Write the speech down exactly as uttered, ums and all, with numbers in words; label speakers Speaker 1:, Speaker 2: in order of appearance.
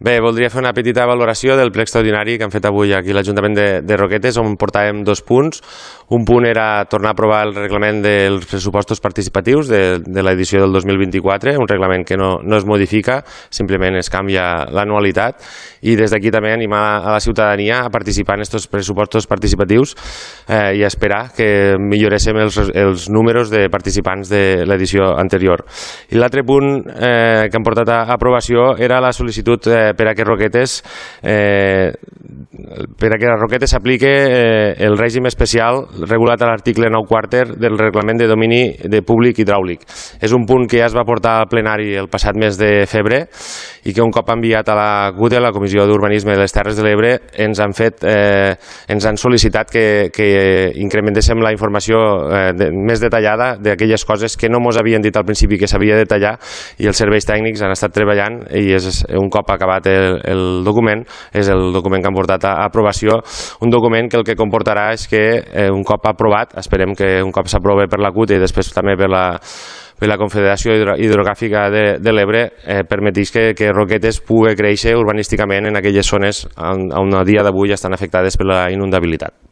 Speaker 1: Bé, voldria fer una petita valoració del ple extraordinari que han fet avui aquí a l'Ajuntament de, de Roquetes, on portàvem dos punts. Un punt era tornar a aprovar el reglament dels pressupostos participatius de, de l'edició del dos mil vint-i-quatre, un reglament que no, no es modifica, simplement es canvia l'anualitat, i des d'aquí també animar a la ciutadania a participar en aquests pressupostos participatius eh, i a esperar que milloréssim els, els números de participants de l'edició anterior. I l'altre punt eh, que han portat a aprovació era la sol·licitud eh, per a que Roquetes eh, per a que a Roquetes s'aplique eh, el règim especial regulat a l'article nou quàrter del reglament de domini de públic hidràulic. És un punt que ja es va portar al plenari el passat mes de febrer i que un cop enviat a la C U D E, la Comissió d'Urbanisme de les Terres de l'Ebre, ens han fet eh, ens han sol·licitat que, que incrementéssim la informació eh, de, més detallada d'aquelles coses que no ens havien dit al principi que s'havia de detallar, i els serveis tècnics han estat treballant, i és un cop acabat el, el document, és el document que han portat a aprovació, un document que el que comportarà és que eh, un cop aprovat, esperem que un cop s'aprove per la C U D E i després també per la per la Confederació Hidrogràfica de, de l'Ebre, eh, permetís que, que Roquetes pugui créixer urbanísticament en aquelles zones on, on a dia d'avui estan afectades per la inundabilitat.